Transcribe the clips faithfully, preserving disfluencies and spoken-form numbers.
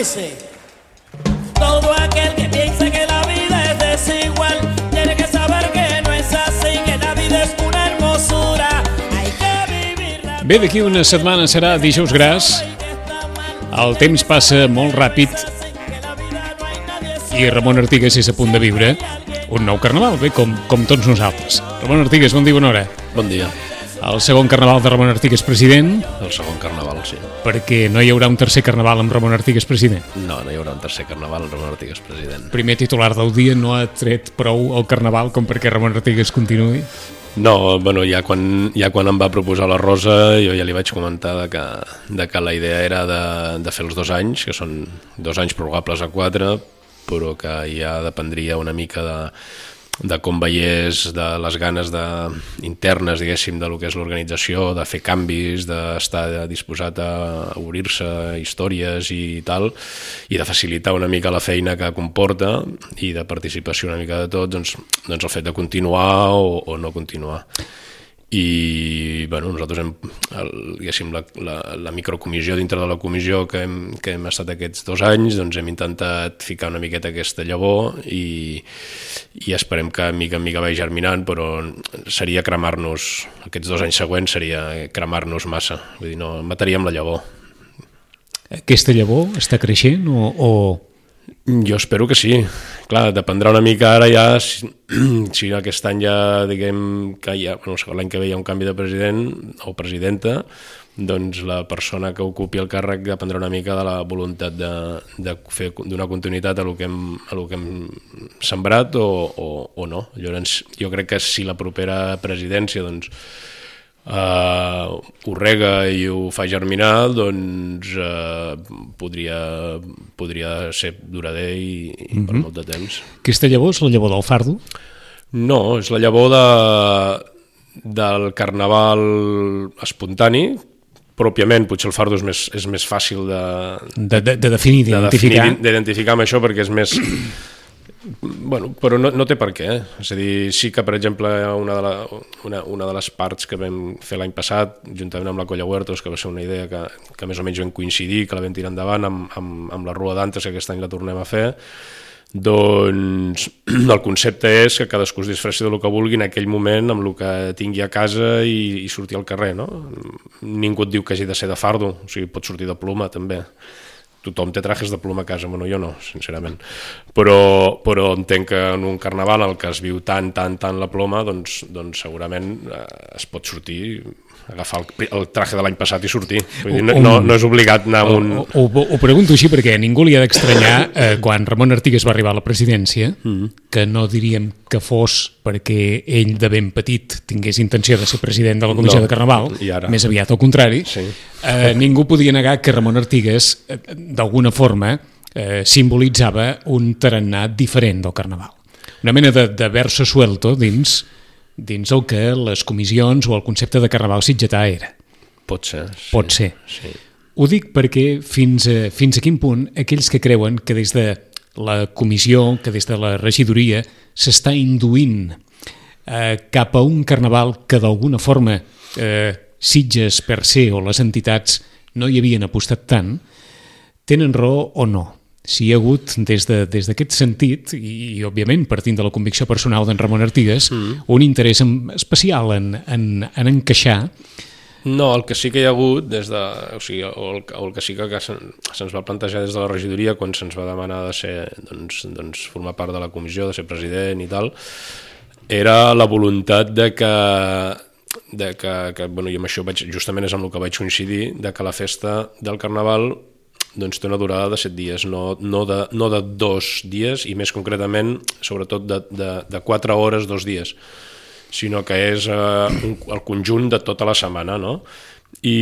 dice: todo aquel que piense que la vida es desigual tiene que saber que no es así, que la vida es una hermosura, hay que vivirla. Bé, d'aquí una setmana serà dijous gras. El temps passa molt ràpid i Ramon Artigas és a punt de viure un nou carnaval, bé, com, com tots nosaltres. Ramon Artigas, bon dia, bona hora. Bon dia. El segon carnaval de Ramon Artigas president. El segon carnaval, sí. Perquè no hi haurà un tercer carnaval amb Ramon Artigas president. No, no hi haurà un tercer carnaval amb Ramon Artigas president. Primer titular del dia, no ha tret prou el carnaval com perquè Ramon Artigas continuï? No, bueno, ja quan, ja quan em va proposar la Rosa jo ja li vaig comentar de que, de que la idea era de, de fer els dos anys, que són dos anys prorrogables a quatre, però que ja dependria una mica de, de com veiés, de les ganes de, internes, diguéssim, de lo que és l'organització, de fer canvis, d'estar disposat a obrir-se històries i tal, i de facilitar una mica la feina que comporta i de participació una mica de tot, doncs, doncs el fet de continuar o, o no continuar. I bueno, nosaltres hem, el, diguéssim, la, la, la microcomissió dintre de la comissió que hem, que hem estat aquests dos anys, doncs hem intentat ficar una miqueta aquesta llavor i, i esperem que mica en mica vagi germinant, però seria cremar-nos, aquests dos anys següents seria cremar-nos massa, vull dir, no, mataríem la llavor. Aquesta llavor està creixent o... o... Jo espero que sí. Clar, dependrà una mica ara ja, si, si aquest any ja, diguem, que ja, bueno, l'any que ve hi ha un canvi de president o presidenta, doncs la persona que ocupi el càrrec dependrà una mica de la voluntat de, de fer donar continuïtat a lo que hem, a lo que hem sembrat o, o, o no. Llavors, jo crec que si la propera presidència, doncs, Uh, ho rega i ho fa germinar, doncs uh, podria, podria ser durader i, i mm-hmm. per molt de temps. Aquesta llavor és la llavor del fardo? No, és la llavor de, del carnaval espontani. Pròpiament, potser el fardo és més, és més fàcil de, de, de, de definir, d'identificar. De d'identificar amb això perquè és més... Bueno, però no, no té per què, eh? És a dir, sí que, per exemple, una de, la, una, una de les parts que vam fer l'any passat, juntament amb la Colla Huertos, que va ser una idea que, que més o menys vam coincidir, que la vam tirar endavant amb, amb, amb la Rua d'Antes, que aquest any la tornem a fer, doncs el concepte és que cadascú es disfressi del que vulgui en aquell moment, amb el que tingui a casa i, i sortir al carrer, no? Ningú et diu que hagi de ser de fardo, o sigui, pot sortir de ploma, també. Tothom té trajes de ploma a casa, bueno, jo no, sincerament. Però, però entenc que en un carnaval en el que es viu tant, tant, tant la ploma, doncs, doncs segurament eh, es pot sortir, agafar el, el traje de l'any passat i sortir. Vull dir, no, no, no és obligat anar amb un... Ho, ho, ho pregunto així perquè a ningú li ha d'estranyar eh, quan Ramon Artigas va arribar a la presidència, mm-hmm. que no diríem que fos perquè ell de ben petit tingués intenció de ser president de la Comissió no, de Carnaval, més aviat al contrari. Sí. Eh, ningú podia negar que Ramon Artigas, eh, d'alguna forma, eh, simbolitzava un tarannà diferent del Carnaval. Una mena de, de verso suelto dins... dins el que les comissions o el concepte de carnaval sitgetà era. Pot ser. Sí, Pot ser. Sí. Ho dic perquè fins a, fins a quin punt aquells que creuen que des de la comissió, que des de la regidoria s'està induint eh, cap a un carnaval que d'alguna forma eh, Sitges per se o les entitats no hi havien apostat tant, tenen raó o no? Si hi ha hagut, des de, des d'aquest sentit, i, i òbviament partint de la convicció personal d'en Ramon Artigas, mm. un interès especial en, en, en encaixar. No, el que sí que hi ha hagut, des de, o sigui, o el, o el que sí que se'ns va plantejar des de la regidoria quan se'ns va demanar de ser, doncs, doncs, formar part de la comissió, de ser president i tal, era la voluntat de que, de que, que bueno, i amb això vaig, justament és amb el que vaig coincidir, de que la festa del Carnaval doncs té una durada de set dies, no, no, de, no de dos dies, i més concretament, sobretot de, de, de quatre hores, dos dies, sinó que és eh, un, el conjunt de tota la setmana, no? I,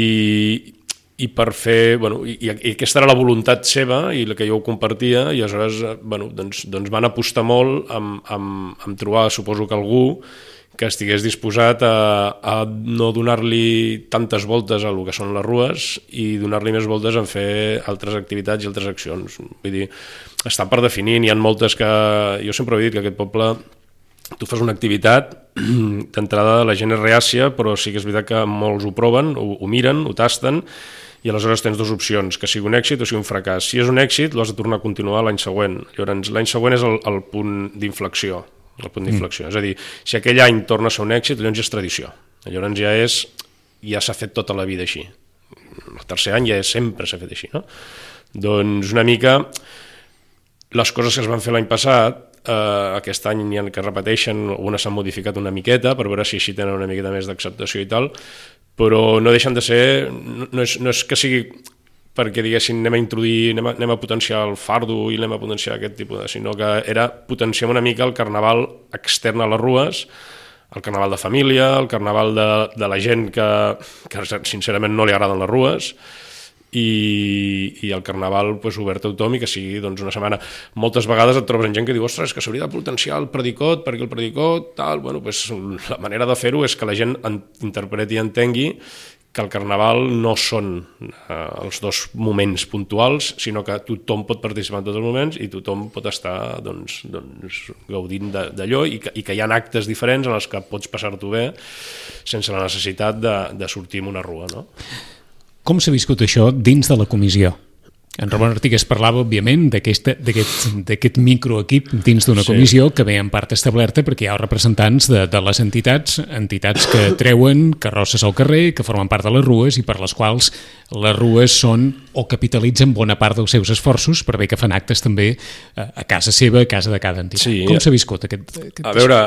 i per fer, bueno, i, i aquesta era la voluntat seva i la que jo ho compartia, i aleshores bueno, doncs, doncs van apostar molt amb, amb, amb trobar, suposo que algú que estigués disposat a, a no donar-li tantes voltes a el que són les rues i donar-li més voltes en fer altres activitats i altres accions. Vull dir, està per definir, n'hi ha moltes que... Jo sempre he dit que aquest poble, tu fas una activitat, d'entrada la gent és reàcia, però sí que és veritat que molts ho proven, ho, ho miren, ho tasten, i aleshores tens dues opcions, que sigui un èxit o sigui un fracàs. Si és un èxit, l'has de tornar a continuar l'any següent. Llavors, l'any següent és el, el punt d'inflexió, el punt d'inflexió. Mm. És a dir, si aquell any torna a ser un èxit, llavors ja és tradició. Llavors ja és, ja s'ha fet tota la vida així. El tercer any ja és, sempre s'ha fet així, no? Doncs una mica, les coses que es van fer l'any passat, eh, aquest any n'hi ha que repeteixen, algunes s'han modificat una miqueta per veure si així tenen una miqueta més d'acceptació i tal, però no deixen de ser, no és, no és que sigui perquè diguessin anem a introduir, anem a, anem a potenciar el fardo i anem a potenciar aquest tipus de... sinó que era potenciar una mica el carnaval extern a les rues, el carnaval de família, el carnaval de, de la gent que, que sincerament no li agraden les rues, i, i el carnaval pues, obert a tothom i que sigui doncs, una setmana. Moltes vegades et trobes en gent que diu ostres, que s'hauria de potenciar el predicot perquè el predicot tal, bueno, pues, la manera de fer-ho és que la gent en, interpreti i entengui que el carnaval no són eh, els dos moments puntuals, sinó que tothom pot participar en tots els moments i tothom pot estar doncs, doncs, gaudint d'allò i, que, i que hi ha actes diferents en els que pots passar-t'ho bé sense la necessitat de, de sortir en una rua, no? Com s'ha viscut això dins de la comissió? En Ramon Artigues parlava, òbviament, d'aquest microequip dins d'una comissió sí. que ve en part establerta perquè hi ha representants de, de les entitats, entitats que treuen carrosses al carrer, que formen part de les rues i per les quals les rues són o capitalitzen bona part dels seus esforços per bé que fan actes també a casa seva, a casa de cada entitat. Sí. Com s'ha viscut aquest, aquest... A veure,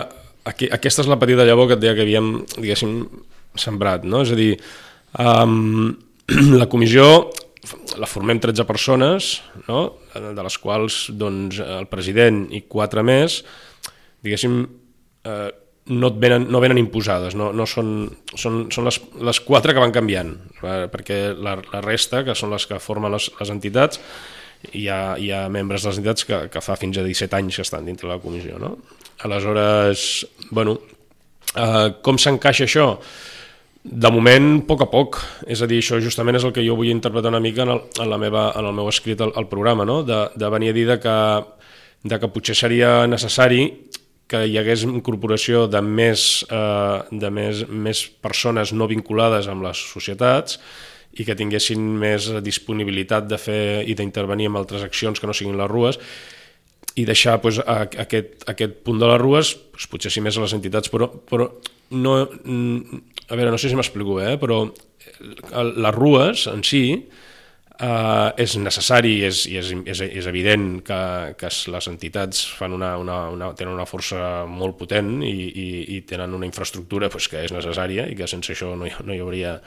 aquí, aquesta és la petita llavor que et deia que havíem, diguéssim, sembrat, no? És a dir, um, la comissió la formem tretze persones, no? De les quals doncs, el president i quatre més, diguéssim, eh, no, et venen, no venen imposades, no, no són, són, són les, les quatre que van canviant, perquè la, la resta, que són les que formen les, les entitats, hi ha, hi ha membres de les entitats que, que fa fins a disset anys que estan dintre la comissió. No? Aleshores, bueno, eh, com s'encaixa això? De moment, a poc a poc, és a dir, això justament és el que jo vull interpretar una mica en el, en la meva, en el meu escrit al, al programa, no? de, de venir a dir de que, de que potser seria necessari que hi hagués incorporació de més, eh, de més, més persones no vinculades amb les societats i que tinguessin més disponibilitat de fer i d'intervenir en altres accions que no siguin les rues i deixar pues, a, a aquest, a aquest punt de les rues, pues, potser sí més a les entitats, però, però no... A veure, no sé si m'explico, eh? Però les rues en si eh, és necessari i és, és, és, és evident que, que les entitats fan una, una, una, tenen una força molt potent i, i, i tenen una infraestructura pues, que és necessària i que sense això no hi, no hi hauria...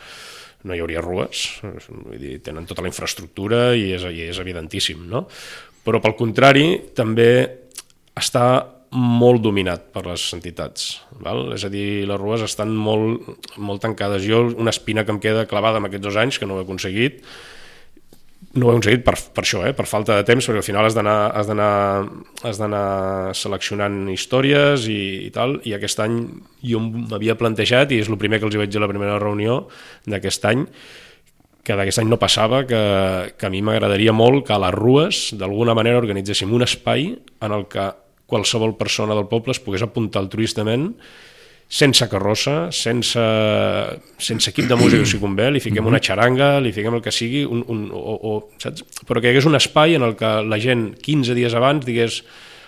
no hi hauria rues, vull dir, tenen tota la infraestructura i és, i és evidentíssim, no? Però pel contrari també està molt dominat per les entitats, val? És a dir, les rues estan molt, molt tancades. Jo, una espina que em queda clavada en aquests dos anys, que no ho he aconseguit, no ho he aconseguit per, per això, eh? Per falta de temps, perquè al final has d'anar has d'anar has d'anar seleccionant històries i, i tal, i aquest any jo m'havia plantejat, i és el primer que els hi vaig dir a la primera reunió d'aquest any, que d'aquest any no passava, que, que a mi m'agradaria molt que a les rues, d'alguna manera, organitzéssim un espai en el que qualsevol persona del poble es pogués apuntar altruistament, sense carrossa, sense, sense equip de música si convé, li fiquem una xaranga, li fiquem el que sigui, un, un, o, o, saps? Però que hi hagués un espai en el que la gent quinze dies abans digués,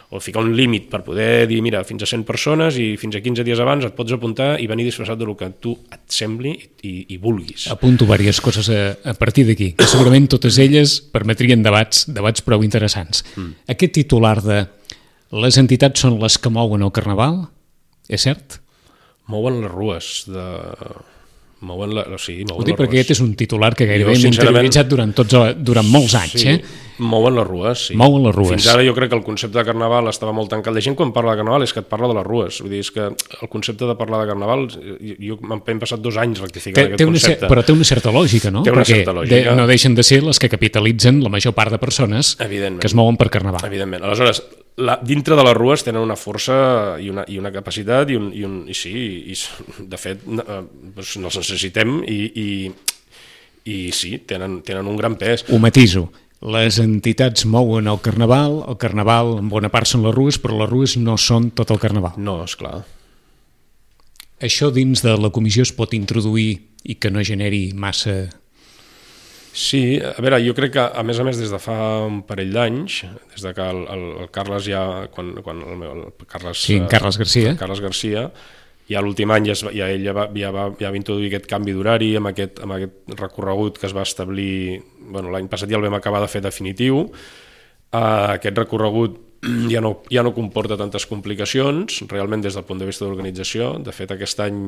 o ficar un límit per poder dir, mira, fins a cent persones i fins a quinze dies abans et pots apuntar i venir disfressat del que tu et sembli i, i vulguis. Apunto diverses coses a, a partir d'aquí, que segurament totes elles permetrien debats, debats prou interessants. Mm. Aquest titular de les entitats són les que mouen el carnaval, és cert? Mouen les rues de... Mouen la... sí, mouen Ho dic les perquè rues. aquest és un titular que gairebé Jo, hem sincerament... interioritzat durant, tots, durant molts anys. Sí, eh? mouen les rues, sí. Mouen les rues. Fins ara jo crec que el concepte de carnaval estava molt tancat. La gent quan parla de carnaval és que et parla de les rues. Vull dir, és que el concepte de parlar de carnaval, jo m'hem passat dos anys rectificant té, aquest té concepte. Però té una certa lògica, no? Té una perquè certa lògica. De, no deixen de ser les que capitalitzen la major part de persones que es mouen per carnaval. Evidentment. Aleshores, la, dintre de les rues tenen una força i una, i una capacitat i, un, i, un, i sí, i, de fet eh, doncs els necessitem i, i, i sí, tenen, tenen un gran pes. Ho matiso. Les entitats mouen el carnaval, el carnaval en bona part són les rues, però les rues no són tot el carnaval. No, esclar. Això dins de la comissió es pot introduir i que no generi massa Sí, a veure, jo crec que, a més a més, des de fa un parell d'anys, des de que el, el, el Carles ja... Quan, quan el, meu, el Carles, Sí, Carles Garcia. El Carles Garcia, ja l'últim any ja, es, ja ell ja va, ja, va, ja va introduir aquest canvi d'horari amb, aquest, amb aquest recorregut que es va establir... Bueno, l'any passat ja el vam acabar de fer definitiu. Uh, aquest recorregut ja no, ja no comporta tantes complicacions, realment des del punt de vista d'organització. De fet, aquest any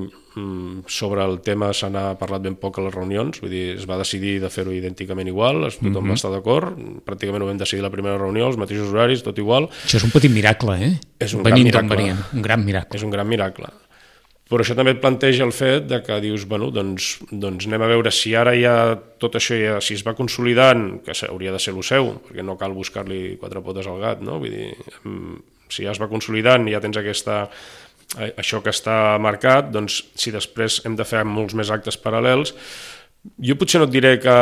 sobre el tema se n'ha parlat ben poc a les reunions, vull dir, es va decidir de fer-ho idènticament igual, tothom mm-hmm. va estar d'acord, pràcticament ho vam decidir la primera reunió, els mateixos horaris, tot igual. Això és un petit miracle, eh? És un Venint gran miracle. Venien, un gran miracle. És un gran miracle. Però això també et planteja el fet de que dius, bueno, doncs, doncs anem a veure si ara ja tot això, ja, si es va consolidant, que hauria de ser el seu, perquè no cal buscar-li quatre potes al gat, no? Vull dir, si ja es va consolidant i ja tens aquesta, això que està marcat, doncs si després hem de fer molts més actes paral·lels, jo potser no et diré que...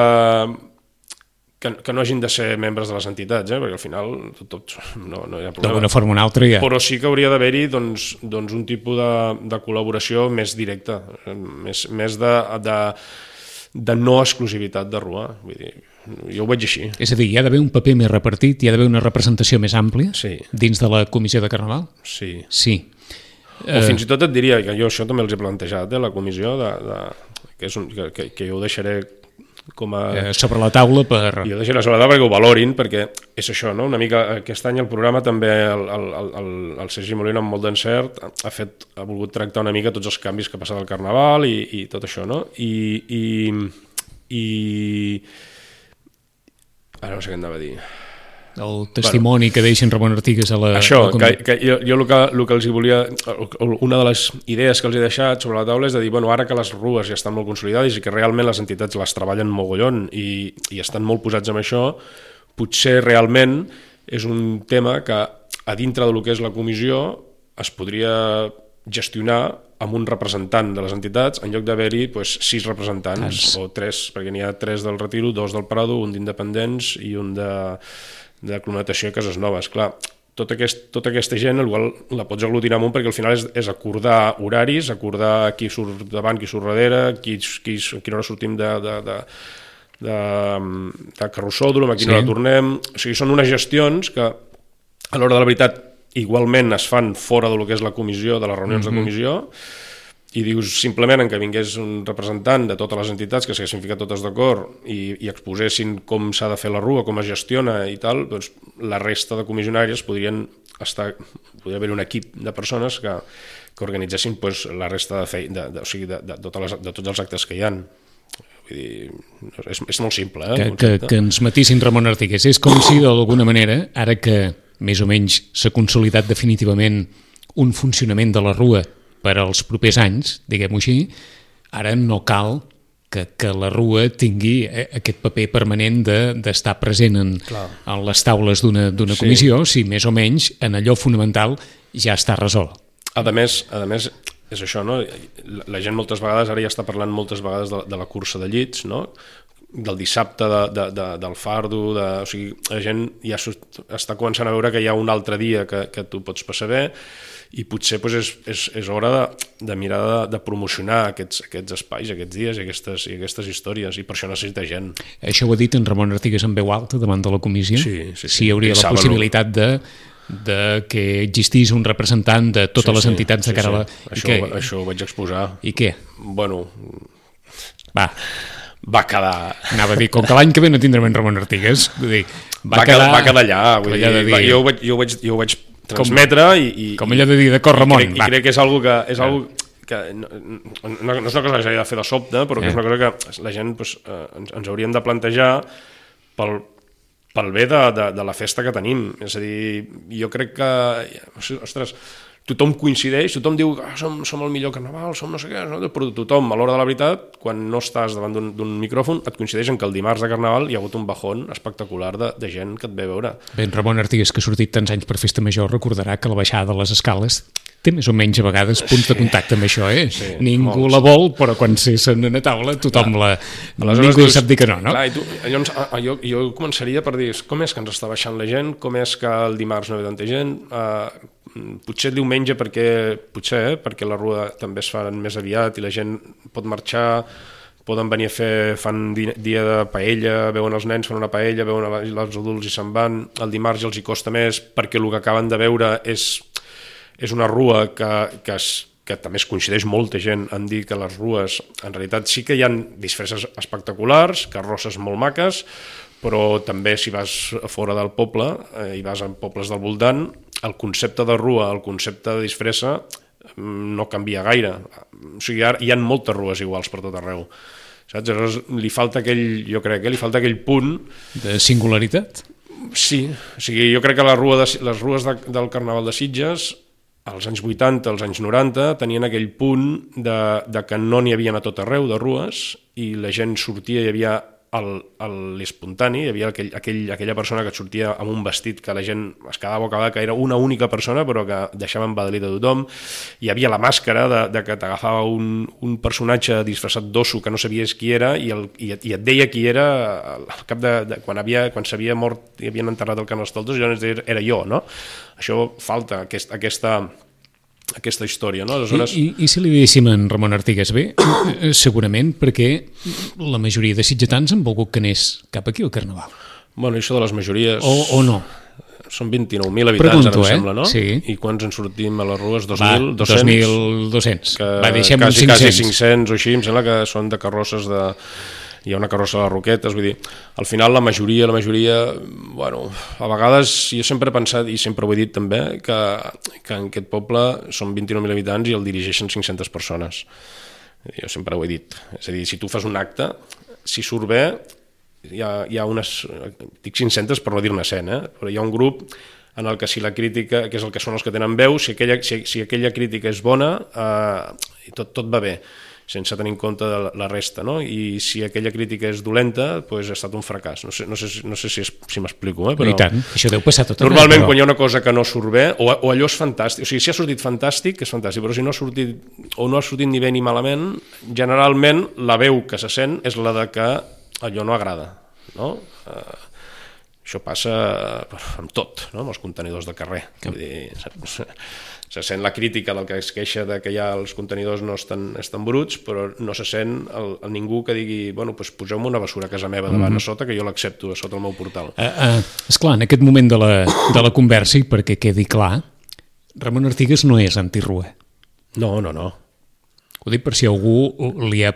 Que, que no hagin de ser membres de les entitats, eh? Perquè al final tot, no, no hi ha problema. D'alguna forma o una altra ja. Però sí que hauria d'haver-hi doncs, doncs un tipus de, de col·laboració més directa, més, més de, de, de no exclusivitat de Rua. Vull dir, jo ho veig així. És a dir, hi ha d'haver un paper més repartit, hi ha d'haver una representació més àmplia sí. dins de la comissió de Carnaval? Sí. Sí. O uh... fins i tot et diria, que jo això també els he plantejat, eh, la comissió, de, de, que, és un, que, que jo ho deixaré com a... Eh, sobre la taula per... Jo deixaré sobre la taula perquè ho valorin, perquè és això, no? Una mica aquest any el programa també, el, el, el, el Sergi Molina amb molt d'encert ha, fet, ha volgut tractar una mica tots els canvis que ha passat al Carnaval i, i tot això, no? I, i, i... Ara no sé què anava a dir... El testimoni bueno, que deixen Ramon Artigues a la... Això, a la que, que jo, jo el, que, el que els hi volia... Una de les idees que els he deixat sobre la taula és de dir, bueno, ara que les rues ja estan molt consolidades i que realment les entitats les treballen mogollon i, i estan molt posats en això, potser realment és un tema que a dintre del que és la comissió es podria gestionar amb un representant de les entitats en lloc d'haver-hi pues, sis representants Tants. o tres, perquè n'hi ha tres del Retiro, dos del Prado, un d'Independents i un de... de climatació a Cases Noves. Clar, tota, aquest, tota aquesta gent igual la pots aglutinar amunt perquè al final és, és acordar horaris, acordar qui surt davant, qui surt darrere, qui, qui, a quina hora sortim de, de, de, de, de carrossòdrom, a quina sí. hora tornem... O sigui, són unes gestions que a l'hora de la veritat igualment es fan fora del que és la comissió, de les reunions mm-hmm. de comissió, i dius simplement en que vingués un representant de totes les entitats que s'haguessin ficat totes d'acord i, i exposessin com s'ha de fer la rua, com es gestiona i tal, doncs la resta de comissionàries podrien estar, podria haver un equip de persones que, que organitzessin doncs, la resta de, fe, de, de, o sigui, de, de, de, les, de tots els actes que hi ha. Vull dir, és, és molt simple. Eh, que, que, que ens matissin Ramon Artigues. És com si d'alguna manera, ara que més o menys s'ha consolidat definitivament un funcionament de la rua per als propers anys, diguem-ho així, ara no cal que, que la rua tingui aquest paper permanent d'estar de, present en, en les taules d'una sí. comissió, si més o menys en allò fonamental ja està resolt. A més, a més és això, no? La, la gent moltes vegades, ara ja està parlant moltes vegades de, de la cursa de llits, no? Del dissabte de, de, de, del fardo, de, o sigui, la gent ja està començant a veure que hi ha un altre dia que, que tu pots passar bé i potser doncs, és, és, és hora de, de mirar de, de promocionar aquests, aquests espais, aquests dies i aquestes, i aquestes històries, i per això necessita gent. Això ho ha dit en Ramon Artigues en veu alta davant de la comissió? Sí, sí, sí. Si hi hauria la possibilitat de, de que existís un representant de totes sí, les entitats sí, de cara a la... Sí. Això, que... això ho vaig exposar. I què? Bueno... Va... va quedar... Anava a dir, com que l'any que ve no tindrem en Ramon Artigues, vull dir, va, va, quedar, va quedar allà, vull dir, dir... Va, jo, ho vaig, jo, ho vaig, jo ho vaig transmetre com, i, i... Com allò de dir, d'acord, Ramon, i crec, va. I crec que és algo que... És algo que no, no, no és una cosa que s'hagi de fer de sobte, però que eh. és una cosa que la gent pues, eh, ens, ens hauríem de plantejar pel, pel bé de, de, de la festa que tenim. És a dir, jo crec que... Ostres... Tothom coincideix, tothom diu que ah, som, som el millor carnaval, som no sé què, no? Però tothom, a l'hora de la veritat, quan no estàs davant d'un micròfon, et coincideix en que el dimarts de carnaval hi ha hagut un bajón espectacular de, de gent que et ve a veure. Bé, en Ramon Artigues, que ha sortit tants anys per Festa Major, recordarà que la baixada de les escales té més o menys a vegades punts sí. de contacte amb això, eh? Sí, ningú molts. La vol, però quan s'en a taula tothom clar. la... Aleshores, ningú sap dir que no, no? Clar, i tu, llavors, jo, jo començaria per dir com és que ens està baixant la gent, com és que el dimarts no ve tanta gent... Uh, potser el diumenge perquè potser eh, perquè la rua també es fa més aviat i la gent pot marxar poden venir a fer, fan dia de paella, veuen els nens, fan una paella, veuen els adults i se'n van, el dimarts els hi costa més perquè el que acaben de veure és, és una rua que, que, es, que també es coincideix molta gent en dir que les rues, en realitat sí que hi ha disfresses espectaculars, carrosses molt maques, però també si vas a fora del poble eh, i vas a pobles del voltant, el concepte de rua, el concepte de disfressa no canvia gaire. O sigui, hi ha moltes rues iguals per tot arreu. Saps? Llavors, li falta aquell, jo crec que li falta aquell punt... De singularitat? Sí, o sigui, jo crec que la rua de, les rues de, del Carnaval de Sitges, als anys vuitanta, als anys noranta, tenien aquell punt de, de que no n'hi havia a tot arreu de rues i la gent sortia, hi havia l'espontani, hi havia aquell, aquell, aquella persona que et sortia amb un vestit que la gent es quedava bocabada, que era una única persona però que deixava embadalit a tothom. Hi havia la màscara de, de que t'agafava un, un personatge disfressat d'osso que no sabies qui era i, el, i, et, i et deia qui era al cap de, de quan, havia, quan s'havia mort i havien enterrat el Carnestoltes, llavors era jo, no? Això falta, aquest, aquesta aquesta història, no? Aleshores... I, i, I si li diguéssim en Ramon Artigas bé, segurament perquè la majoria de sitgetans han volgut que anés cap aquí al Carnaval. Bueno, això de les majories... O, o no? Són vint-i-nou mil habitants, Pregunto, ara em eh? sembla, no? Sí. I quants en sortim a les rues? dos Va, mil dos-cents? dos mil dos-cents. Que Va, deixem quasi, uns quasi cinc-cents. cinc-cents o així, em sembla que són de carrosses de... Hi ha una carrossa de les Roquetes, vull dir, al final la majoria, la majoria, bueno, a vegades jo sempre he pensat, i sempre ho he dit també, que, que en aquest poble són vint-i-nou mil habitants i el dirigeixen cinc-centes persones. Jo sempre ho he dit. És a dir, si tu fas un acte, si surt bé, hi ha, hi ha unes, dic cinc-centes per no dir-ne cent, eh? Però hi ha un grup en el que si la crítica, que és el que són els que tenen veu, si aquella, si, si aquella crítica és bona, eh, tot, tot va bé, sense tenir en compte de la resta, no? I si aquella crítica és dolenta, doncs ha estat un fracàs. No sé, no sé, no sé si, és, si m'explico, eh? Però... I tant, això deu passar tot Normalment, però... quan hi ha una cosa que no surt bé, o, o allò és fantàstic, o sigui, si ha sortit fantàstic, és fantàstic, però si no ha sortit, o no ha sortit ni bé ni malament, generalment la veu que se sent és la de que allò no agrada, no? Uh, això passa amb tot, no? Amb els contenidors de carrer. Vull dir, se sent la crítica del que es queixa de que ja els contenidors no estan, estan bruts, però no se sent el, el ningú que digui, bueno, doncs poseu-me una bessura a casa meva davant mm-hmm. a sota, que jo l'accepto a sota el meu portal. Uh, uh, esclar, en aquest moment de la, de la conversa, i perquè quedi clar, Ramon Artigas no és antirrua. No, no, no. Ho dic per si algú li ha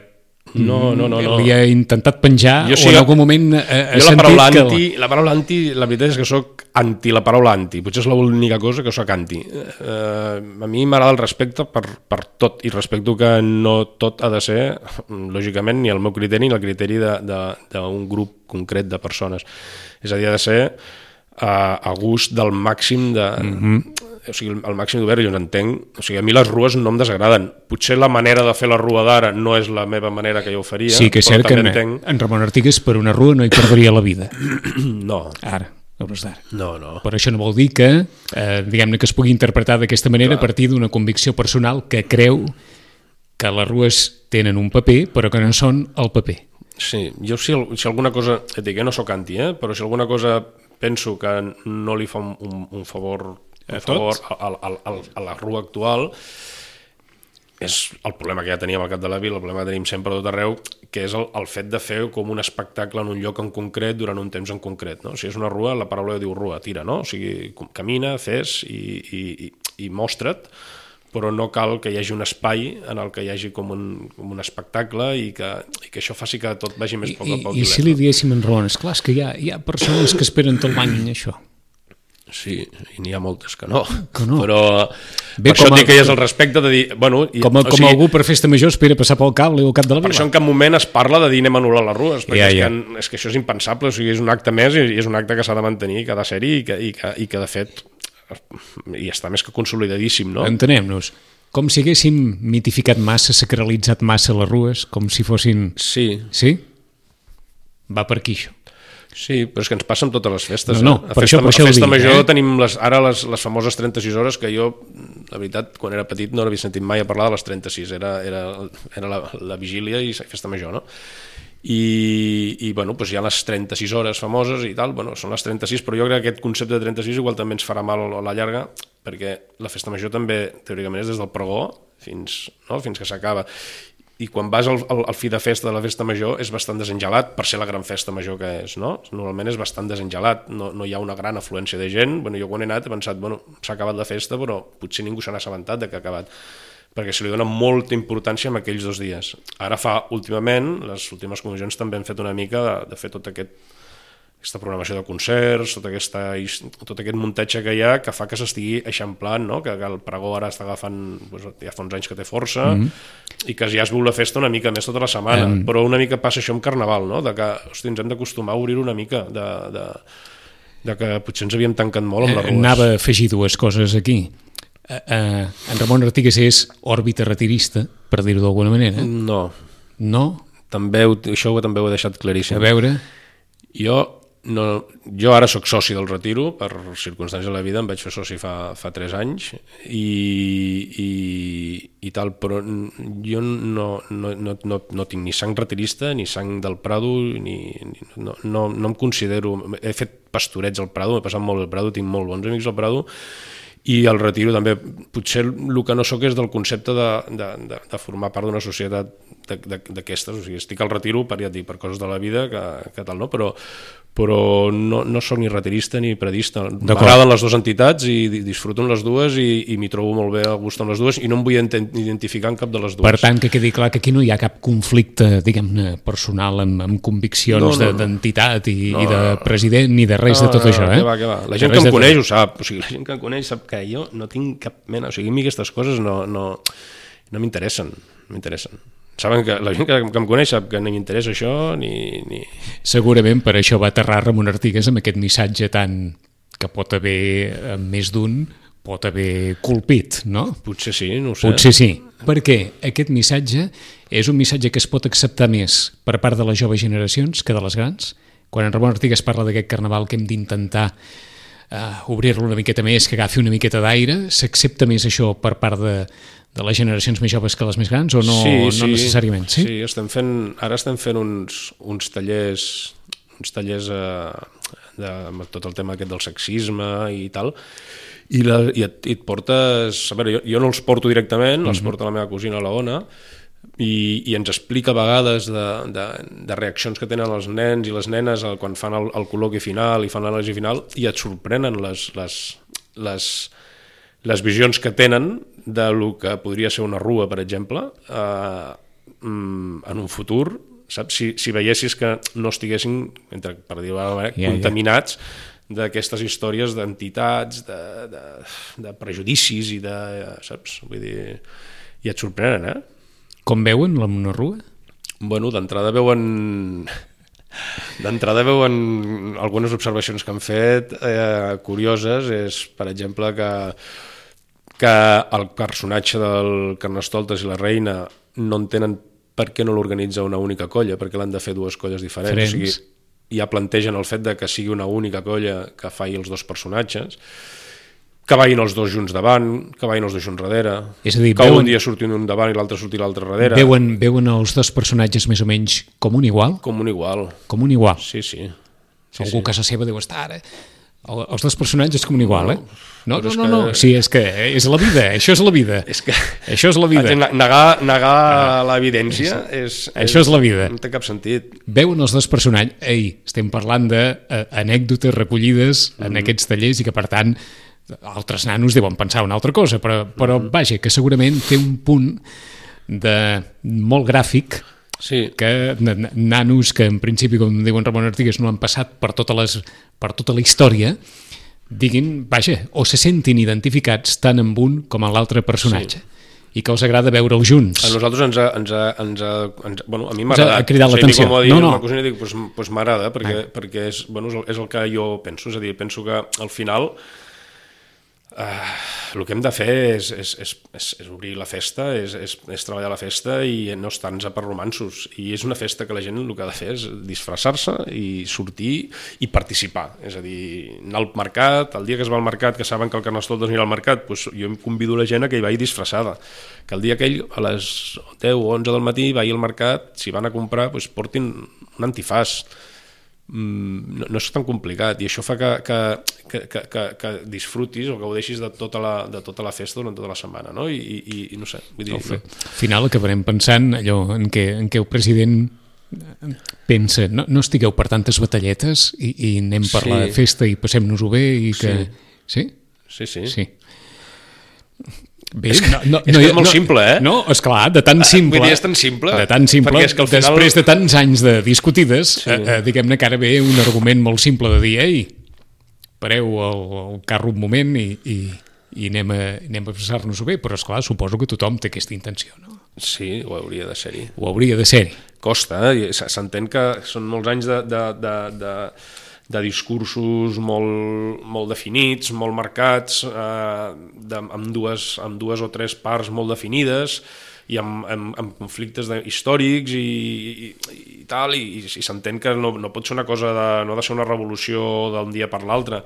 No, no, no, no. li ha intentat penjar jo, o en algun moment ha, ha jo la paraula sentit anti, que... la paraula anti, la veritat és que soc anti la paraula anti, potser és l'única cosa que soc anti. Eh, a mi m'agrada el respecte per, per tot, i respecto que no tot ha de ser, lògicament, ni el meu criteri ni el criteri d'un grup concret de persones. És a dir, ha de ser a, a gust del màxim de... Mm-hmm. O sigui, el màxim d'obert, jo n'entenc. O sigui, a mi les rues no em desagraden. Potser la manera de fer la rua d'ara no és la meva manera que jo ho faria. Sí, que és cert que en, entenc... en Ramon Artigas per una rua no hi perdria la vida. No. Ara, a hores d'ara. No, no. Però això no vol dir que, eh, diguem-ne, que es pugui interpretar d'aquesta manera. Clar. A partir d'una convicció personal que creu que les rues tenen un paper, però que no són el paper. Sí, jo si, si alguna cosa, et dic, eh, no soc anti, eh, però si alguna cosa penso que no li fa un, un, un favor... a favor a, a, a, a la rua actual és el problema que ja teníem al Cap de la Vila, el problema que tenim sempre a tot arreu, que és el, el fet de fer com un espectacle en un lloc en concret durant un temps en concret, no? Si és una rua, la paraula diu rua, tira, no? O sigui, camina, fes i, i, i, i mostra't, però no cal que hi hagi un espai en el que hi hagi com un, com un espectacle i que, i que això faci que tot vagi més a poc a poc. I, i si li diguéssim en Ramon, esclar, és que hi ha, hi ha persones que esperen tot l'any això. Sí, i n'hi ha moltes que no, que no. Però bé, per això a, et dic que hi és el respecte de dir... Bueno, i, com a, com o sigui, algú per festa major espera passar pel cable o cap de la Vila. Per això en cap moment es parla de dir anem a anul·lar les rues, perquè ja, és, ja. Que, és que això és impensable, o sigui, és un acte més i és un acte que s'ha de mantenir, que ha de ser-hi i, que, i, que, i que de fet i està més que consolidadíssim, no? Entenem-nos. Com si haguéssim mitificat massa, sacralitzat massa les rues, com si fossin... Sí. Sí? Va per aquí, això. Sí, però és que ens passa amb totes les festes. No, no, eh? A per festa, això, per això a festa dic, major eh? tenim les, ara les, les famoses trenta-sis hores que jo, la veritat, quan era petit no havia sentit mai a parlar de les trenta-sis, era, era, era la, la vigília i festa major, no? I, i bueno, doncs hi ha les trenta-sis hores famoses i tal, bueno, són les trenta-sis, però jo crec que aquest concepte de trenta-sis igual també ens farà mal a la llarga, perquè la festa major també, teòricament, és des del pregó fins, no? fins que s'acaba. i quan vas al, al, al fi de festa de la festa major és bastant desengelat per ser la gran festa major que és, no? Normalment és bastant desengelat, no, no hi ha una gran afluència de gent. Bueno, jo quan he anat he pensat, bueno, s'ha acabat la festa, però potser ningú se n'ha assabentat de que ha acabat, perquè se li dona molta importància en aquells dos dies. Ara fa, últimament, les últimes comissions també han fet una mica de, de fer tot aquest aquesta programació de concerts, tot, aquesta, tot aquest muntatge que hi ha que fa que s'estigui eixamplant, no? que, que el pregó ara està agafant, doncs, ja fa uns anys que té força, mm-hmm. i que ja es viu la festa una mica més tota la setmana, mm. però una mica passa això amb Carnaval, no? De que hosti, ens hem d'acostumar a obrir una mica, de, de, de que potser ens havíem tancat molt amb les rues. Anava a afegir dues coses aquí. Uh, uh, en Ramon Artigas és òrbita retirista, per dir-ho d'alguna manera. No. No? També, això també ho he deixat claríssim. A veure... Jo... No, jo ara sóc soci del Retiro, per circumstàncies de la vida, em vaig fer soci fa, fa tres anys i, i, i tal, però jo no, no, no, no, no tinc ni sang retirista ni sang del Prado, ni, ni, no, no, no em considero... He fet pastorets al Prado, m'he passat molt al Prado, tinc molt bons amics al Prado, i al Retiro també. Potser el que no sóc és del concepte de, de, de, de formar part d'una societat d'aquestes, o sigui, estic al Retiro per, ja et dic, per coses de la vida que, que tal, no? Però però no, no sóc ni retirista ni predista. M'agraden les dues entitats i disfruto amb les dues i, i m'hi trobo molt bé a gust amb les dues i no em vull identificar en cap de les dues. Per tant, que quedi clar que aquí no hi ha cap conflicte, diguem-ne, personal amb, amb conviccions no, no, no. d'entitat i, no, i de president ni de res no, de tot no, això. Eh? Que va, que va. La gent que em coneix ho sap, o sigui, la gent que em coneix sap que jo no tinc cap mena, o sigui, a mi aquestes coses no, no, no m'interessen, no m'interessen. Saben que la gent que, que em coneix sap que no m'interessa això ni, ni... Segurament per això va aterrar Ramon Artigas amb aquest missatge tan que pot haver més d'un pot haver colpit, no? Potser sí, no ho sé. Potser sí, perquè aquest missatge és un missatge que es pot acceptar més per part de les joves generacions que de les grans. Quan en Ramon Artigas parla d'aquest carnaval que hem d'intentar uh, obrir-lo una miqueta més, que agafi una miqueta d'aire, s'accepta més això per part de de les generacions més joves que les més grans o no, sí, sí, no necessàriament? Sí, sí estem fent, ara estem fent uns, uns tallers, uns tallers eh, de, de tot el tema aquest del sexisme i tal, i, la, i, et, i et portes... A veure, jo, jo no els porto directament, mm-hmm. els porta la meva cosina, la Ona, i, i ens explica a vegades de, de, de reaccions que tenen els nens i les nenes quan fan el, el col·loqui final i fan l'anàlisi final, i et sorprenen les... les, les les visions que tenen de lo que podria ser una rua, per exemple, eh, en un futur, saps? Si, si veiessis que no estiguessin, entre, per dir-ho d'alguna manera, yeah, contaminats yeah. d'aquestes històries d'entitats, de, de, de prejudicis i de... saps? Vull dir, i et sorprenen, eh? Com veuen la una rua? Bueno, d'entrada veuen... D'entrada veuen algunes observacions que han fet eh, curioses, és, per exemple, que que el personatge del Carnestoltes i la Reina no entenen per què no l'organitza una única colla, perquè l'han de fer dues colles diferents. O sigui, ja plantegen el fet de que sigui una única colla que faci els dos personatges, que vagin els dos junts davant, que vagin els dos junts darrere, és a dir, que veuen, un dia surti un davant i l'altre surti l'altre darrere. Veuen, veuen els dos personatges més o menys com un igual? Com un igual. Com un igual. Sí, sí. sí Algú sí. a casa seva deu estar ara... Els dos personatges com un igual, eh? No, no, no, que... no, sí, és que és la vida, això és la vida. És que... Això és la vida. Negar, negar ah, és, l'evidència és, és... Això és la vida. No té cap sentit. Veuen els dos personatges... Ei, estem parlant d'anècdotes recollides en mm-hmm. aquests tallers i que, per tant, altres nanos deuen pensar una altra cosa, però, però mm-hmm. vaja, que segurament té un punt de molt gràfic. Sí. Que nanos que en principi, com diuen Ramon Artigas, no han passat per, totes les, per tota la història, diguin, vaja, o se sentin identificats tant amb un com en l'altre personatge. Sí. I que els agrada veure'ls junts. A nosaltres ens ha, ens ha, ens ha, ens ha bueno, a mi m'ha agradat. Ha cridat l'atenció. O sigui, no, no. La cosina dic, pues, pues m'agrada, perquè, ah. perquè és, bueno, és, el, és el que jo penso, és a dir, penso que al final Uh, el que hem de fer és, és, és, és, és obrir la festa, és, és, és treballar la festa i no estar-nos per romansos. I és una festa que la gent el que ha de fer és disfressar-se i sortir i participar. És a dir, anar al mercat, el dia que es va al mercat, que saben que el Carnestoltes anirà al mercat, doncs jo em convido la gent a que hi vagi disfressada. Que el dia aquell, a les deu o onze del matí, vagi al mercat, si van a comprar, doncs portin un antifàs. no, no és tan complicat, i això fa que, que, que, que, que disfrutis o que gaudeixis de tota la, de tota la festa durant tota la setmana, no? I, i, i no sé, vull dir... Al final acabarem pensant allò en què, en què el president pensa, no, no estigueu per tantes batalletes i, i anem per sí. la festa i passem-nos-ho bé i que... Sí? Sí, sí. sí. Bé, és que, no, no, és, no, que és molt no, simple, eh? No, esclar, de tan simple. Vull dir, és tan simple. De tan simple, és que al final... després de tants anys de discutides, sí. eh, eh, diguem-ne que ara ve un argument molt simple de dir, ei, pareu el, el carro un moment i, i, i anem a, anem a passar-nos-ho bé, però esclar, suposo que tothom té aquesta intenció, no? Sí, ho hauria de ser-hi. Ho hauria de ser-hi. Costa, eh? S'entén que són molts anys de... de, de, de de discursos molt, molt definits, molt marcats, eh, de, amb, dues, amb dues o tres parts molt definides i amb, amb, amb conflictes de, històrics i, i, i tal, i, i s'entén que no, no pot ser una cosa, de, no ha de ser una revolució d'un dia per l'altre,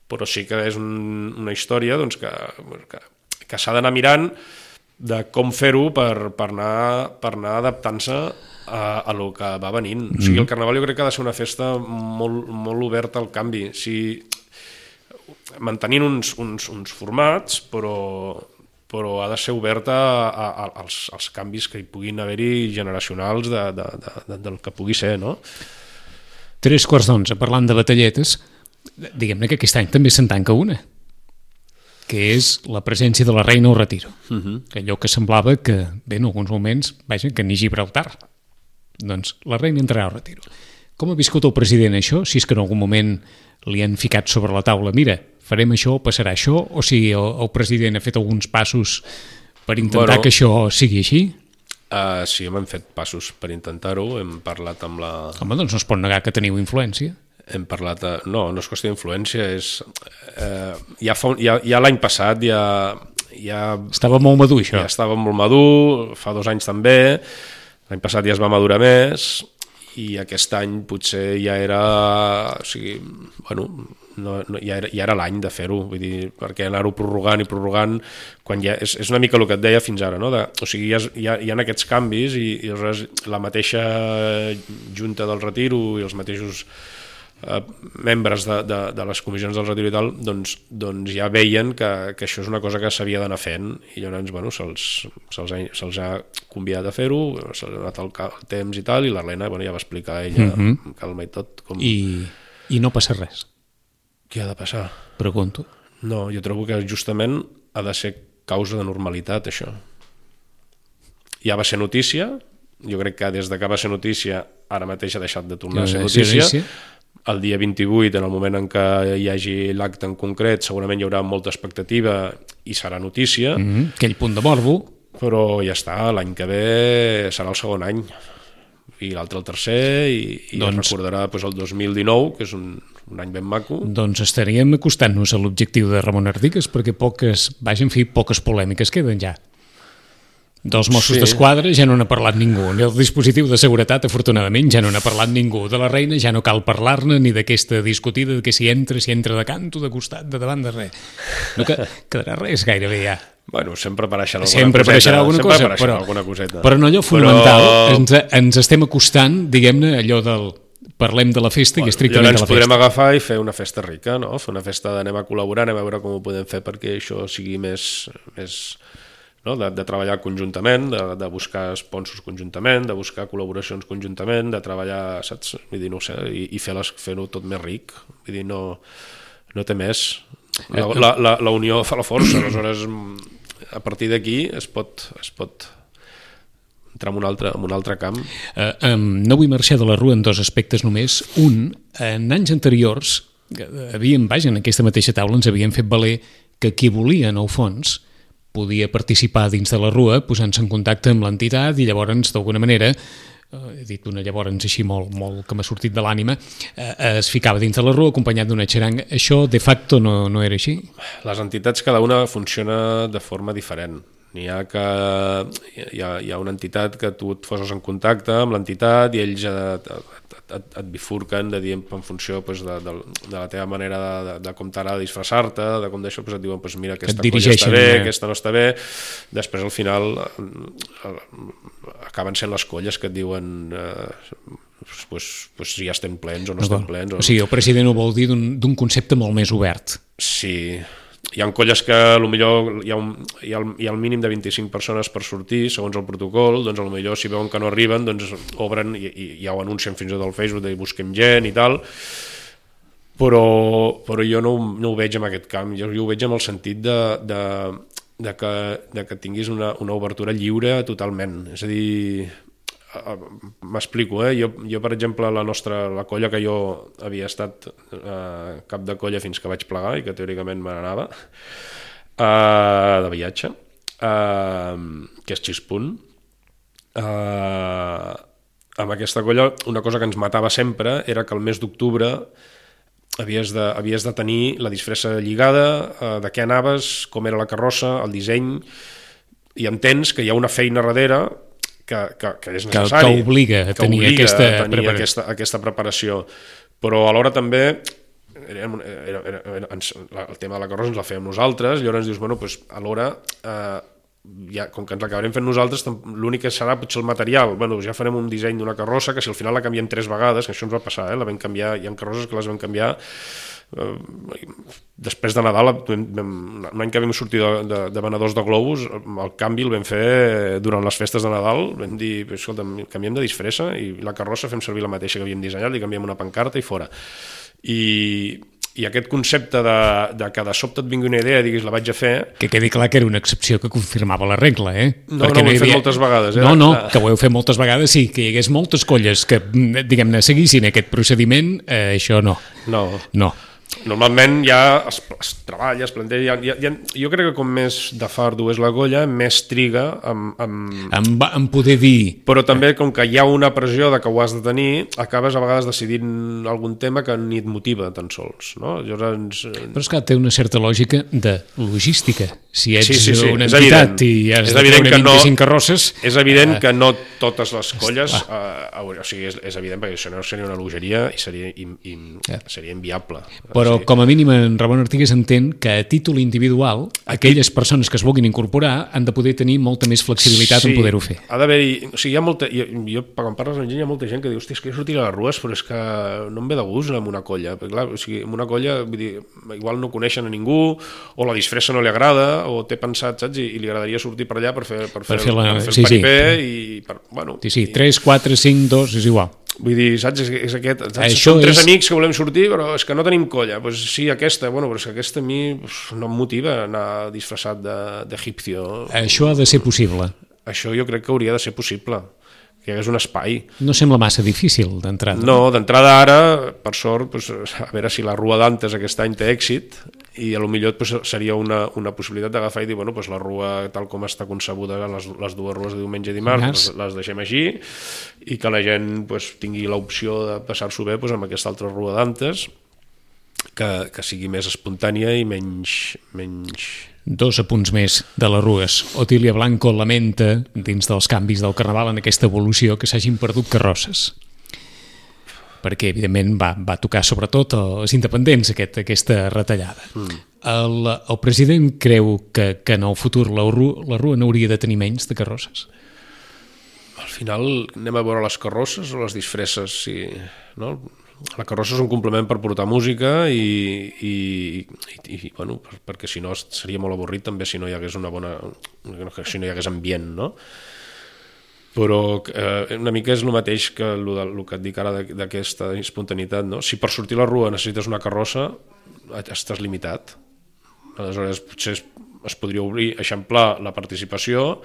però sí que és un, una història doncs, que, que, que s'ha d'anar mirant de com fer-ho per, per anar, per anar adaptant-se a, a lo que va venint. Mm. O sigui, el Carnaval jo crec que ha de ser una festa molt, molt oberta al canvi. O sigui, mantenint uns, uns, uns formats, però, però ha de ser oberta a, a, als, als canvis que hi puguin haver-hi generacionals de, de, de, de, del que pugui ser, no? Tres quarts d'onze, parlant de batalletes, diguem-ne que aquest any també se'n tanca una, que és la presència de la reina al retiro. Uh -huh. Allò que semblava que, bé, en alguns moments, vaja, que ni Gibraltar. Doncs la reina entrarà al retiro. Com ha viscut el president això? Si és que en algun moment li han ficat sobre la taula, mira, farem això, passarà això, o si el, el president ha fet alguns passos per intentar bueno, que això sigui així? Uh, sí, hem fet passos per intentar-ho, hem parlat amb la... Home, doncs no es pot negar que teniu influència. Hem parlat... A... No, no és qüestió d'influència, és... Uh, ja fa un... ja, ja l'any passat ja, ja... Estava molt madur, això. Ja estava molt madur, fa dos anys també. L'any passat ja es va madurar més i aquest any potser ja era... O sigui, bueno, no, no, ja era, ja era l'any de fer-ho, vull dir, perquè anar-ho prorrogant i prorrogant, quan ja... És, és una mica el que et deia fins ara, no? De, o sigui, hi ha, hi ha, hi ha aquests canvis i, i la mateixa junta del retiro i els mateixos eh, membres de, de, de les comissions del retiro i tal, doncs, doncs ja veien que, que això és una cosa que s'havia d'anar fent i llavors, bueno, se'ls se se ha convidat a fer-ho, se'ls ha donat el, el temps i tal, i l'Helena, bueno, ja va explicar ella uh -huh. amb calma i tot. Com... I, I no passa res? Què ha de passar? Pregunto. No, jo trobo que justament ha de ser causa de normalitat, això. Ja va ser notícia, jo crec que des de que va ser notícia ara mateix ha deixat de tornar a ser notícia. Sí, sí. El dia vint-i-vuit, en el moment en què hi hagi l'acte en concret, segurament hi haurà molta expectativa i serà notícia. Mm-hmm. Aquell punt de morbo. Però ja està, l'any que ve serà el segon any i l'altre el tercer i, i doncs, es recordarà doncs, el dos mil dinou, que és un, un any ben maco. Doncs estaríem acostant-nos a l'objectiu de Ramon Ardigues, perquè poques, vaja, en fi, poques polèmiques queden ja. Dels Mossos sí. d'Esquadra ja no n'ha parlat ningú, ni el dispositiu de seguretat, afortunadament, ja no n'ha parlat ningú. De la reina ja no cal parlar-ne, ni d'aquesta discutida de que si entra, si entra de canto, de costat, de davant, de res. No que, quedarà res gairebé ja. Bueno, sempre apareixerà alguna sempre coseta. Apareixerà alguna sempre cosa, apareixerà però, alguna coseta. Però no allò fonamental. Però... Ens, ens estem acostant, diguem-ne, allò del... Parlem de la festa bueno, i estrictament de la festa. Llavors ens podrem agafar i fer una festa rica, no? Fer una festa d'anem a col·laborar, anem a veure com ho podem fer perquè això sigui més... més no? de, de treballar conjuntament, de, de buscar sponsors conjuntament, de buscar col·laboracions conjuntament, de treballar, saps? Vull dir, no sé, i, i fer-ho fer tot més ric. Vull dir, no, no té més. La, la, la, la unió fa la força, aleshores a partir d'aquí es pot, es pot entrar en un altre, en un altre camp. Uh, um, no vull marxar de la rua en dos aspectes només. Un, en anys anteriors, havíem, vaja, en aquesta mateixa taula ens havíem fet valer que qui volia, en el fons, podia participar dins de la rua posant-se en contacte amb l'entitat i llavors, d'alguna manera, he dit una llavors així molt, molt que m'ha sortit de l'ànima, eh, es ficava dins de la rua acompanyat d'una xaranga. Això de facto no, no era així? Les entitats cada una funciona de forma diferent. N'hi ha que hi ha, hi ha una entitat que tu et poses en contacte amb l'entitat i ells et, et, et, et bifurquen de dir en funció pues, de, de, de la teva manera de, de, de com t'agrada disfressar-te, de com d'això, pues, et diuen pues, mira, aquesta colla està bé, eh? Aquesta no està bé. Després al final acaben sent les colles que et diuen eh, pues, pues, si ja estem plens o no, no estem plens. O... o sigui, el president ho vol dir d'un concepte molt més obert. Sí, hi ha colles que potser hi ha, un, hi, ha el, hi ha el mínim de vint-i-cinc persones per sortir segons el protocol, doncs potser si veuen que no arriben doncs obren i, i ja ho anuncien fins i tot al Facebook de busquem gent i tal, però, però jo no, no ho veig en aquest camp, jo, jo ho veig en el sentit de, de, de, que, de que tinguis una, una obertura lliure totalment, és a dir, m'explico, eh? jo, jo per exemple la nostra, la colla que jo havia estat eh, cap de colla fins que vaig plegar i que teòricament me n'anava eh, de viatge eh, que és Xispunt eh, amb aquesta colla una cosa que ens matava sempre era que el mes d'octubre havies de, havies de tenir la disfressa lligada, eh, de què anaves, com era la carrossa, el disseny, i entens que hi ha una feina darrere que, que, que és necessari. Que, que obliga a tenir, obliga aquesta, a tenir preparació. Aquesta, aquesta preparació. Però alhora també era, era, era, era, el tema de la carrossa ens la fèiem nosaltres, i llavors ens dius, bueno, pues, alhora eh, ja, com que ens l'acabarem fent nosaltres, l'únic que serà potser el material. Bueno, ja farem un disseny d'una carrossa que si al final la canviem tres vegades, que això ens va passar, eh? La vam canviar, hi ha carrosses que les vam canviar després de Nadal, un any que vam sortir de, de, de venedors de globus, el canvi el vam fer durant les festes de Nadal, vam dir, escolta, canviem de disfressa i la carrossa fem servir la mateixa que havíem dissenyat, li canviem una pancarta i fora. I, i aquest concepte de, de que de sobte et vingui una idea i diguis la vaig a fer... Que quedi clar que era una excepció que confirmava la regla, eh? No, Perquè no, ho hem fet moltes vegades. Eh? No, no, que ho heu fet moltes vegades, sí, que hi hagués moltes colles que, diguem-ne, seguissin aquest procediment, eh, això no. No. No. Normalment ja es, es treballa, es planteja... Ja, ja, jo crec que com més de fardo és la colla, més triga en, en... En, en poder dir... Però també, com que hi ha una pressió de que ho has de tenir, acabes a vegades decidint algun tema que ni et motiva tan sols. No? Llavors... Però és que té una certa lògica de logística. Si ets sí, sí, sí. una entitat i has és de treure vint-i-cinc no, carrosses... És evident uh, que no totes les colles... Uh, o sigui, és, és evident, perquè això no seria una bogeria i seria, i, i, yeah. seria inviable. Però sí. com a mínim en Ramon Artigues entén que a títol individual aquelles persones que es vulguin incorporar han de poder tenir molta més flexibilitat sí, en poder-ho fer. Ha d'haver-hi... O sigui, hi ha molta... Jo, jo, quan parles amb gent, hi ha molta gent que diu, hòstia, és que jo sortiré a les rues, però és que no em ve de gust amb una colla. Perquè, clar, o sigui, amb una colla, vull dir, igual no coneixen a ningú, o la disfressa no li agrada, o té pensat, saps? I, i li agradaria sortir per allà per fer, per fer, per fer, la, per fer el sí, paripé sí. i... Per, bueno, sí, sí, i... tres, quatre, cinc, dos, és igual. Vull dir, saps, és, és aquest, saps? Som tres és... amics que volem sortir, però és que no tenim colla. Pues sí, aquesta, bueno, però és que aquesta a mi pues, no em motiva anar disfressat d'egipcio. Això ha de ser possible. Això jo crec que hauria de ser possible, que hi hagués un espai. No sembla massa difícil d'entrada. No, d'entrada ara, per sort, pues, a veure si la Rua d'Antes aquest any té èxit, i a lo millor pues, seria una, una possibilitat d'agafar i dir, bueno, pues, la Rua tal com està concebuda, les, les dues rues de diumenge i dimarts, les, les deixem així, i que la gent pues, tingui l'opció de passar-s'ho bé pues, amb aquesta altra Rua d'Antes, que, que sigui més espontània i menys... menys... Dos apunts més de les rues. Otília Blanco lamenta, dins dels canvis del Carnaval, en aquesta evolució, que s'hagin perdut carrosses. Perquè, evidentment, va, va tocar sobretot als independents aquest, aquesta retallada. Mm. El, el president creu que, que en el futur la, la Rua n'hauria de tenir menys de carrosses? Al final anem a veure les carrosses o les disfresses, sí, no? La carrossa és un complement per portar música i, i, i, i bueno, perquè si no seria molt avorrit també si no hi hagués una bona, si no hi hagués ambient, no? Però eh, una mica és el mateix que el, el que et dic ara d'aquesta espontaneïtat, no? Si per sortir a la Rua necessites una carrossa, estàs limitat. Aleshores potser es, es podria obrir, eixamplar la participació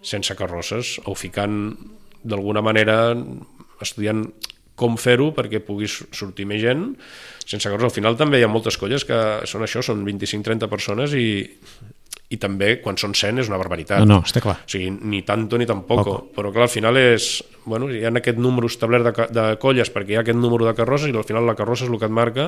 sense carrosses o ficant d'alguna manera, estudiant com fer-ho perquè puguis sortir més gent sense carrosses. Al final també hi ha moltes colles que són això, són vint-i-cinc trenta persones i, i també quan són cent és una barbaritat. No, no, està clar. O sigui, ni tanto ni tampoco. Poco. Però clar, al final és... Bueno, hi ha aquest número establert de, de colles perquè hi ha aquest número de carrosses i al final la carrossa és el que et marca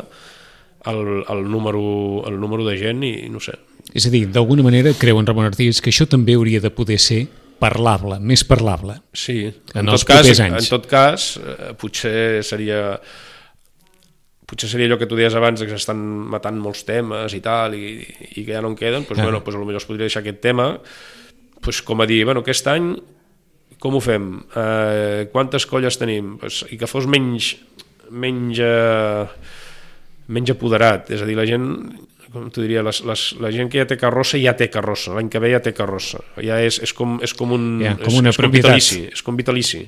el, el, número, el número de gent i no sé. És a dir, d'alguna manera creuen, Ramon Artigas, que això també hauria de poder ser parlable, més parlable. Sí, en, en els tot cas, propers anys. En tot cas, eh, potser seria potser seria allò que tu deies abans, que s'estan matant molts temes i tal, i, i que ja no en queden, doncs, ah. bueno, doncs potser es podria deixar aquest tema, doncs, com a dir, bueno, aquest any com ho fem? Eh, quantes colles tenim? Pues, i que fos menys menys, eh, menys apoderat, és a dir, la gent, com t'ho diria, les, les, la gent que ja té carrossa ja té carrossa, l'any que ve ja té carrossa, ja és, és, com, és com un ja, com una és, és com vitalici, és com vitalici.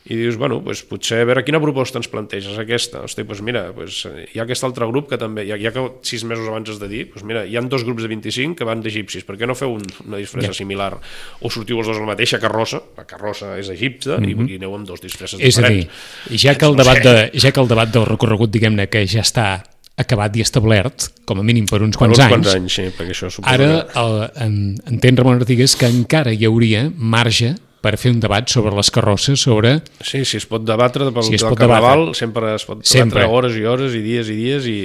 I dius, bueno, pues, potser a veure quina proposta ens planteges, aquesta. Hosti, pues mira, pues, hi ha aquest altre grup que també, ja, ja que sis mesos abans has de dir, pues mira, hi ha dos grups de vint-i-cinc que van d'egipcis, per què no feu un, una disfressa yeah. similar? O sortiu els dos a la mateixa carrossa, la carrossa és egipta, mm-hmm. i, i aneu amb dos disfresses és diferents. És a dir, ja que, el debat de, ja que el debat del recorregut, diguem-ne, que ja està acabat i establert, com a mínim per uns quants per uns anys, quants anys sí, perquè això ara que... el, en, entén Ramon Artigas que encara hi hauria marge per fer un debat sobre les carrosses, sobre... Sí, si es pot debatre pel si del carnaval, debatre. sempre es pot sempre. debatre hores i hores i dies i dies i,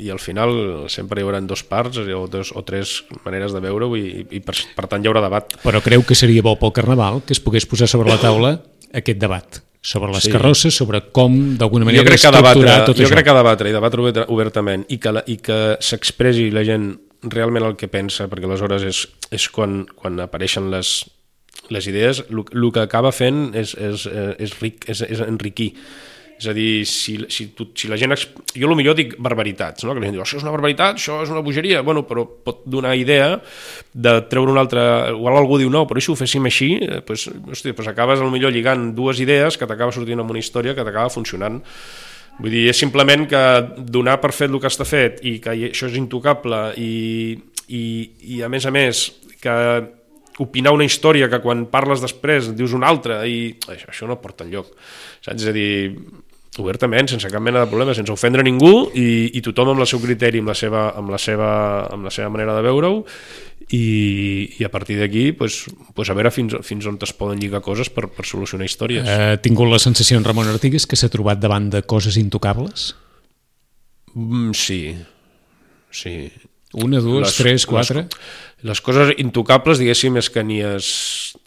i al final sempre hi haurà dos parts o, dos, o tres maneres de veure-ho i, i per, per tant hi haurà debat. Però creu que seria bo pel carnaval que es pogués posar sobre la taula aquest debat? Sobre les sí. carrosses, sobre com d'alguna manera estructurar debatre, tot jo això. Jo crec que debatre i debatre obertament i que, la, i que s'expressi la gent realment el que pensa, perquè aleshores és, és quan, quan apareixen les, les idees, el que acaba fent és, és, és, ric, és, és enriquir. És a dir, si, si, tu, si la gent... Jo potser dic barbaritats, no? Que la gent diu, això és una barbaritat, això és una bogeria, bueno, però pot donar idea de treure una altra... Igual algú diu, no, però si ho féssim així, doncs, hosti, doncs acabes potser lligant dues idees que t'acaba sortint amb una història que t'acaba funcionant. Vull dir, és simplement que donar per fet el que està fet i que això és intocable i, i, i a més a més, que opinar una història que quan parles després dius una altra i això, això no porta enlloc. Saps? És a dir, obertament, sense cap mena de problema, sense ofendre ningú i, i tothom amb el seu criteri, amb la seva, amb la seva, amb la seva manera de veure-ho i, i a partir d'aquí pues, pues a veure fins, fins on es poden lligar coses per, per solucionar històries. Ha tingut la sensació en Ramon Artigas que s'ha trobat davant de coses intocables? Mm, sí, sí. Una, dues, les, tres, quatre? Les, les coses intocables, diguéssim, és que ni és...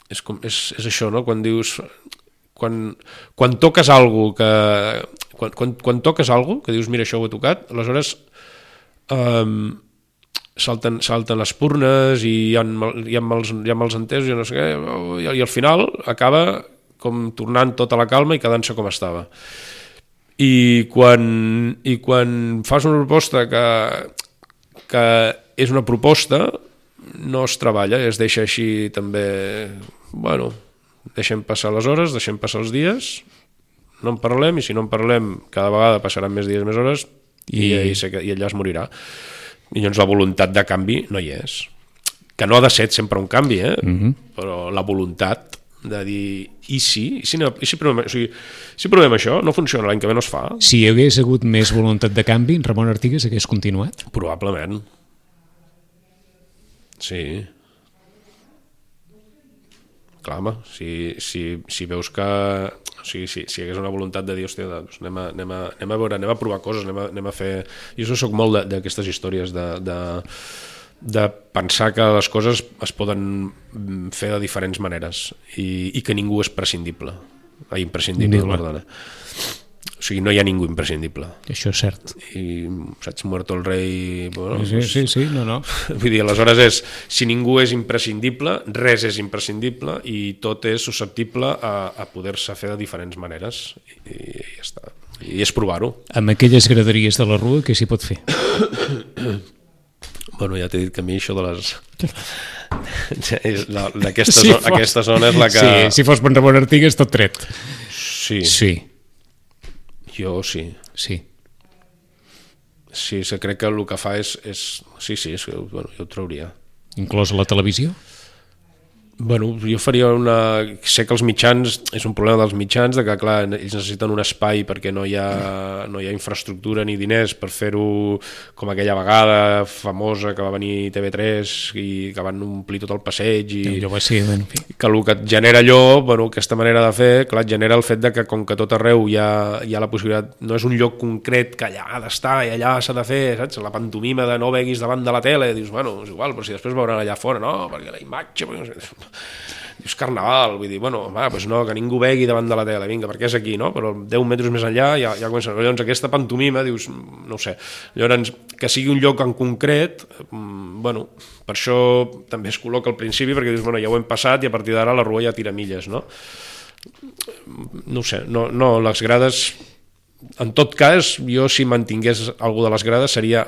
És, com, és, és això, no? Quan dius... Quan, quan toques algo que quan, quan, quan toques algo que dius mira això ho he tocat, aleshores um, salten, salten les purnes i hi ha, hi ha, mals, hi ha mals entesos i no sé què, i, i al final acaba com tornant tota la calma i quedant-se com estava. I quan, i quan fas una proposta que, que és una proposta no es treballa, es deixa així també, bueno, deixem passar les hores, deixem passar els dies, no en parlem, i si no en parlem cada vegada passaran més dies, més hores, i, i, i allà es morirà. I llavors la voluntat de canvi no hi és. Que no ha de ser sempre un canvi, eh? Mm-hmm. Però la voluntat de dir, i si? I si, no, i si, provem, o sigui, si provem això, no funciona, l'any que ve no es fa. Si hi hagués hagut més voluntat de canvi, Ramon Artigas hagués continuat? Probablement. Sí. Clar, home, si, si, si veus que... O sigui, si, si hi hagués una voluntat de dir, hòstia, doncs anem, a, anem, a, anem a veure, anem a provar coses, anem a, anem a fer... Jo soc molt d'aquestes històries de, de, de pensar que les coses es poden fer de diferents maneres i, i que ningú és prescindible. Ah, imprescindible, perdona. O sigui, no hi ha ningú imprescindible. Això és cert. I, saps, muerto el rei... Bueno, sí, sí, sí, no, no. Vull dir, aleshores és, si ningú és imprescindible, res és imprescindible i tot és susceptible a, a poder-se fer de diferents maneres. I, i ja està. I és provar-ho. Amb aquelles graderies de la Rua, què s'hi pot fer? Bueno, ja t'he dit que a mi això de les... D'aquesta si zona, aquesta zona és la que... Sí, si fos per Ramon Artigas, tot tret. Sí. Sí. Jo sí. Sí. Sí, se crec que el que fa és... és sí, sí, és que, bueno, jo ho trauria. Inclòs a la televisió? Bueno, jo faria una... Sé que els mitjans, és un problema dels mitjans, de que clar, ells necessiten un espai perquè no hi ha, no hi ha infraestructura ni diners per fer-ho com aquella vegada famosa que va venir T V tres i que van omplir tot el passeig i allò va ser, en fi. Que el que et genera allò, bueno, aquesta manera de fer, clar, et genera el fet de que com que tot arreu hi ha, hi ha la possibilitat, no és un lloc concret que allà ha d'estar i allà s'ha de fer, saps? La pantomima de no veguis davant de la tele, dius, bueno, és igual, però si després veuran allà fora, no, perquè la imatge... Perquè no sé... Dius carnaval, vull dir, bueno, va, doncs no, que ningú vegui davant de la tele, vinga, perquè és aquí, no? Però deu metres més enllà ja, ja comença. Llavors aquesta pantomima, dius, no ho sé, llavors que sigui un lloc en concret, bueno, per això també es col·loca al principi, perquè dius, bueno, ja ho hem passat i a partir d'ara la rua ja tira milles, no? No ho sé, no, no, les grades, en tot cas, jo si mantingués algú de les grades seria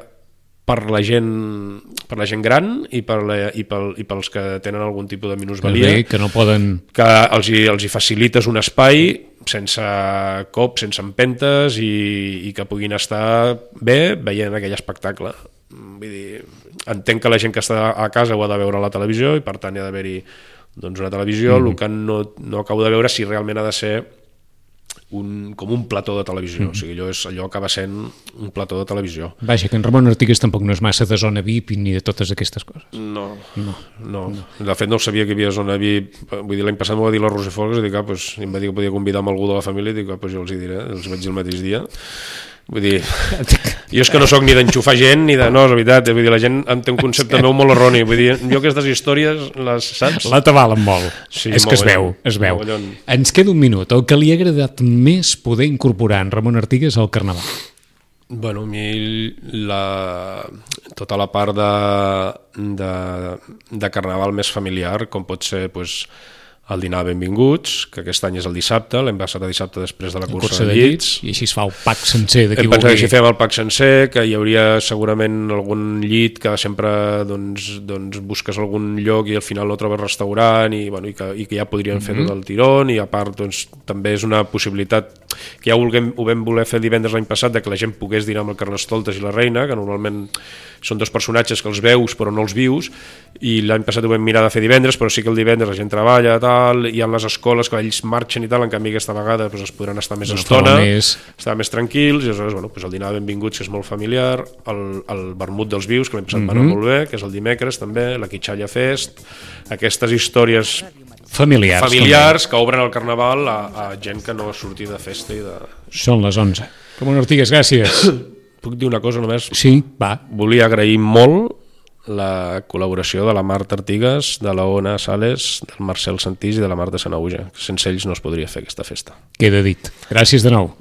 per la gent per la gent gran i, per la, i, pel, i pels que tenen algun tipus de minusvalia, que no poden... que els hi, els hi facilites un espai sense cops, sense empentes i, i que puguin estar bé veient aquell espectacle. Vull dir, entenc que la gent que està a casa ho ha de veure a la televisió i per tant hi ha d'haver-hi doncs, una televisió, mm-hmm. el que no, no acabo de veure si realment ha de ser un, com un plató de televisió, mm. o sigui, allò, és, allò acaba sent un plató de televisió. Vaja, que en Ramon Artigues tampoc no és massa de zona V I P ni de totes aquestes coses. No, no, no. no. De fet no sabia que hi havia zona V I P, vull dir, l'any passat m'ho va dir la Roser Folgues, i dic, ah, pues, em va dir que podia convidar amb algú de la família, i dic, ah, pues jo els hi diré, els vaig dir el mateix dia. Vull dir, jo és que no sóc ni d'enxufar gent ni de... No, és veritat, vull dir, la gent té un concepte meu molt erroni, vull dir, jo aquestes històries les saps? La t'avalen molt, sí, és que es veu, es veu. Ens queda un minut, el que li ha agradat més poder incorporar en Ramon Artigues al Carnaval? Bueno, a mi la, tota la part de, de, de Carnaval més familiar, com pot ser, doncs, el dinar benvinguts, que aquest any és el dissabte, l'hem passat a dissabte després de la cursa, cursa de, de llits. I així es fa el pack sencer de qui hem pensat que així fem el pack sencer, que hi hauria segurament algun llit que sempre doncs, doncs busques algun lloc i al final no trobes restaurant i, bueno, i, que, i que ja podrien fer mm-hmm. tot el tirón, i a part doncs, també és una possibilitat que ja ho, vulguem, ho vam voler fer divendres l'any passat, de que la gent pogués dinar amb el Carnestoltes i la Reina, que normalment són dos personatges que els veus però no els vius, i l'any passat ho vam mirar de fer divendres, però sí que el divendres la gent treballa, tal, hi ha les escoles que ells marxen i tal, en canvi aquesta vegada doncs, es podran estar més estona, més... estar més tranquils, i aleshores bueno, doncs el dinar de benvinguts, que és molt familiar, el, el vermut dels vius, que l'any passat mm-hmm. va anar molt bé, que és el dimecres també, la Quitxalla Fest, aquestes històries familiars, familiars que obren el Carnaval a, a gent que no ha sortit de festa i de... Són les onze. Ramon Artigues, gràcies. Puc dir una cosa només? Sí, va. Volia agrair molt la col·laboració de la Marta Artigues, de la Ona Sales, del Marcel Santís i de la Marta Sanauja. Sense ells no es podria fer aquesta festa. Queda dit. Gràcies de nou.